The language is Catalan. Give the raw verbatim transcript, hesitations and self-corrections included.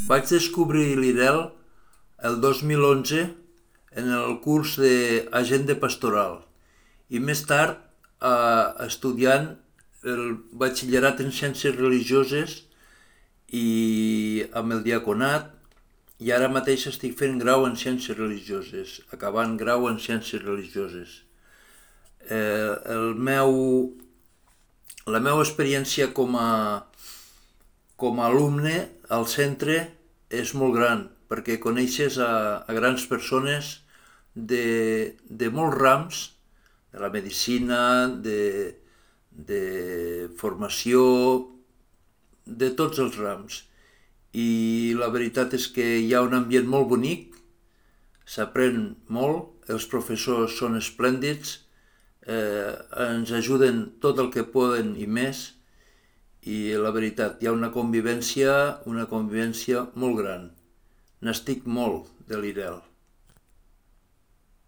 Vaig descobrir l'I R E L el dos mil onze en el curs d'agent de pastoral i més tard eh, estudiant el batxillerat en ciències religioses i amb el diaconat, i ara mateix estic fent grau en ciències religioses, acabant grau en ciències religioses. Eh, el meu, la meva experiència com a, com a alumne al centre és molt gran, perquè coneixes a, a grans persones de, de molts rams, de la medicina, de, de formació, de tots els rams. I la veritat és que hi ha un ambient molt bonic, s'aprèn molt, els professors són esplèndids, eh, ens ajuden tot el que poden i més, i la veritat, hi ha una convivència, una convivència molt gran. N'estic molt de l'I R E L.